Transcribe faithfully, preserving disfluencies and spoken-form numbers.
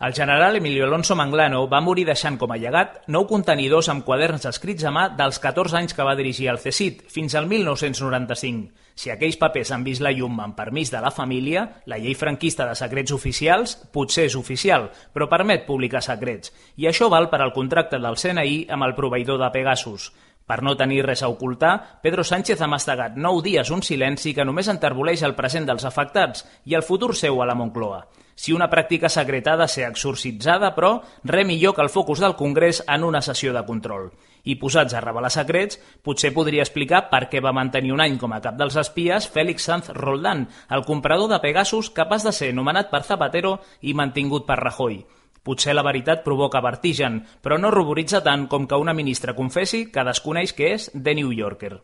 El general Emilio Alonso Manglano va morir deixant com a llegat nou contenidors amb quaderns escrits a mà dels catorze anys que va dirigir el C S I T fins al mil nou-cents noranta-cinc. Si aquells papers han vist la llum amb permís de la família, la llei franquista de secrets oficials potser és oficial, però permet publicar secrets. I això val per al contracte del C N I amb el proveïdor de Pegasus. Per no tenir res a ocultar, Pedro Sánchez ha mastegat nou dies un silenci que només enterboleix el present dels afectats i el futur seu a la Moncloa. Si una pràctica secreta ha de ser exorcitzada, però, res millor que el focus del Congrés en una sessió de control. I posats a revelar secrets, potser podria explicar per què va mantenir un any com a cap dels espies Félix Sanz Roldán, el comprador de Pegasus capaç de ser nomenat per Zapatero i mantingut per Rajoy. Potser la veritat provoca vertigen, però no ruboritza tant com que una ministra confessi que desconeix què és The New Yorker.